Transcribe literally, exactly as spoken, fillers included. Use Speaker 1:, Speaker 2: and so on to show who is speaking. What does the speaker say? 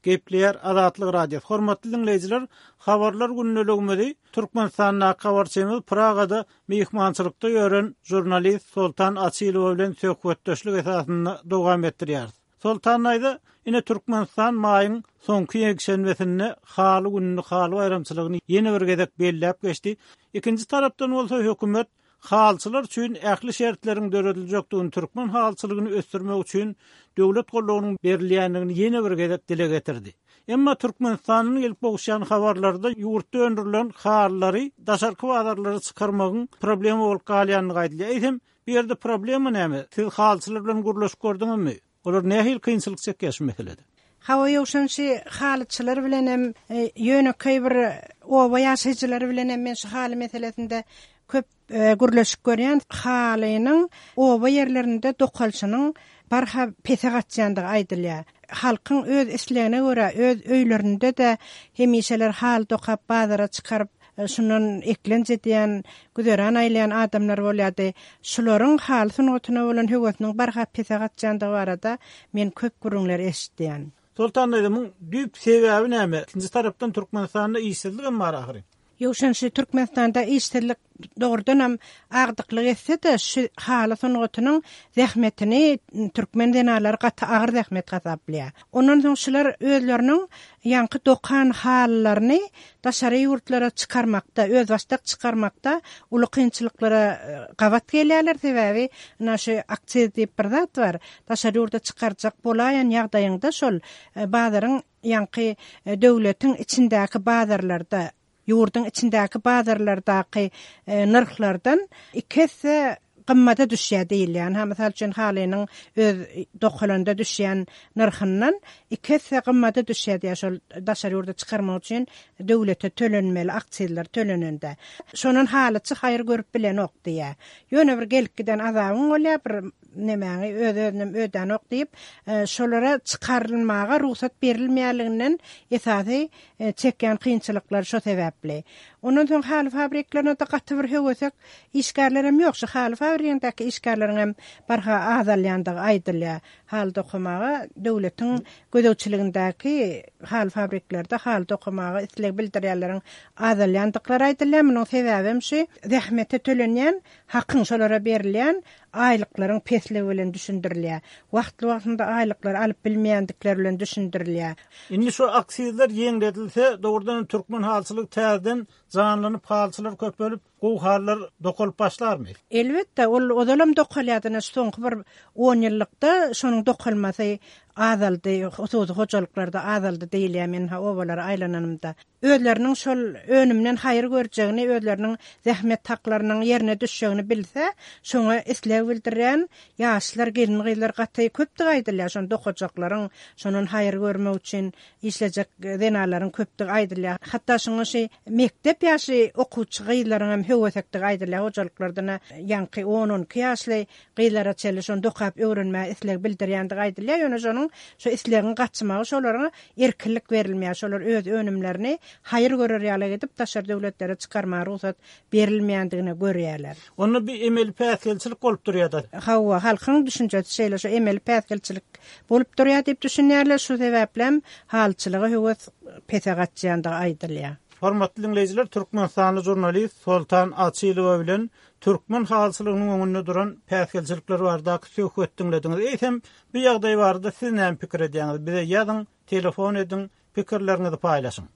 Speaker 1: Gepleýär Azatlyk Radiosy. Hormatly diňleýjiler, habarlar gündeligimizi Türkmenistandaky habarçymyz Pragada myhmançylykda ýören žurnalist Soltan Açylowa bilen söhbetdeşlik esasynda dowam etdirýäris. Soltan aýda ine Türkmenistan maýyň soňky ýekşenbesinde haly gününi, haly baýramçylygyny ýene bir gezek belläp geçdi. Ikinji tarapdan bolsa hökümet Halyçylar üçin ähli şertleriň dörediljekdigini, türkmen halyçylygyny ösdürmek üçin döwlet goldawynyň berilýändigini ýene bir gezek dile getirdi. Emma Türkmenistandan gelip gowuşýan habarlarda ýurtda öndürilen halylary daşarky bazarlara çykarmagyň problema bolup galýandygy aýdylýar. Eýsem, bu ýerde problema näme? Siz halyçylar bilen gürleşip gördüňizmi? Olar nähili kynçylyk çekýär şu meselede?
Speaker 2: Hawa ýowşan şu halyçylar bilen hem ýönekeý bir oba ýaşaýjylary bilen hem men şu haly meselesinde köp gürleşip görýän. Halynyň oba ýerlerinde dokalşynyň barha pese gaçýandygy aýdylýar. Halkyň öz islegine görä öz öýlerinde-de hemişeler haly dokap bazara çykaryp, şundan eklenç edýän, güzeran aýlaýan adamlar bolýardy. Şularyň haly sungatyna bolan höwesiniň barha pese gaçýandygy barada men köp gürrüňler eşitýän.
Speaker 1: Soltan daýzamyň düýp sebäbi näme? Ikinji tarapdan Türkmenistanda işsizlik hem bar ahyry.
Speaker 2: Ýowşan şu Türkmenistanda işsizlik dogrudanam agdyklyk etse-de, şu haly sungatynyň zähmetini türkmen zenanlary gaty agyr zähmet hasaplaýar. Ondan soň şular özleriniň ýaňky dokan halylaryny daşary ýurtlara çykarmakda, özbaşdak çykarmakda uly kynçylyklara gabat gelýärler. Sebäbi ina şu aksiz diýip bir zat bar. Daşary ýurda çykarjak bolaýan ýagdaýyňda şol bazaryň ýaňky döwletiň içindäki bazarlarda, ýurduň içindäki bazarlardaky nyrhlardan iki esse gymmata düşýär diýilýär. Ha, mysal üçin halynyň öz dokalanda düşýän nyrhyndan iki esse gymmata düşýär diýär şol daşary ýurda çykarmak üçin döwlete tölenmeli aksizler tölenende. Şondan halyçy haýyr görüp bilenok diýär. Ýöne bir gelip giden azabyň bolýar, bir nemäňi öz-özünem ödänok diýip, şolara çykarylmaga rugsat berilmeýänliginden esasy çekýän kynçylyklar şo sebäpli. Ondan soň haly fabriklerine-de gaty bir höwesek işgärler hem ýok. Şu haly fabrigindäki işgärleriň hem barha azalýandygy aýdylýar. Haly dokamaga döwletiň gözegçiligindäki haly fabriklerde haly dokamaga isleg bildirýänleriň azalýandyklary aýdylýar. Munuň sebäbi hem şu zähmete tölenýän hakyň şolara berilýän aýlyklaryň pesligi bilen düşündirilýär. Wagtly-wagtynda aýlyklary alyp bilmeýändikleri bilen düşündirilýär.
Speaker 1: Indi şu aksizler ýeňledilse, dogrudan türkmen halyçylygy täzeden janlanyp, halyçylar köpelip, gowy halylar dokalyp başlarmy?
Speaker 2: Elbetde, ol ozalam dokalýardy, şu soňky bir on ýyllykda şonuň dokalmasy azaldy, hususy hojalyklarda azaldy diýilýär men ha obalara aýlananymda. Özleriniň şol önümden haýyr görjegini, özleriniň zähmet haklarynyň ýerine düşjegini bilse, şoňa isleg bildirýän ýaşlar, gelin-gyzlar gaty köpdük aýdylýar. Şony dokajaklaryň, şondan haýyr görmek üçin işlejek zenanlaryň köpdük aýdylýar. Hatda şoňa şu mekdep ýaşly okuwçy gyzlaryň hem höwesekdigi aýdylýar. Hojalyklardan ýaňky on-on iki ýaşly gyzlara çenli şony dokap öwrenmäge isleg bildirýändigi aýdylýar. Ýöne şonuň şu islegiň gaçmagy şolaryň erkinlik berilmeýär. Şolar öz önümlerini haýyr görer ýaly edip daşary döwletlere çykarmaga rugsat berilmeýändigini görýärler.
Speaker 1: Onda bir emeli päsgelçilik bolup durýar da.
Speaker 2: Hawa, halkyň düşünjesi şeýle, şu emeli päsgelçilik bolup durýar diýip düşünýärler. Şu sebäplem halyçylyga höwes pese gaçýandygy aýdylýar.
Speaker 1: Hormatly diňleýjiler, Türkmenistanly žurnalist Soltan Açylowa bilen türkmen halyçylygynyň öňünde duran päsgelçilikler baradaky söhbet diňlediňiz. Eýsem, bu ýagdaý barada siz näme pikir edýäňiz? Bize ýazyň, telefon ediň, pikirleriňizi paýlaşyň.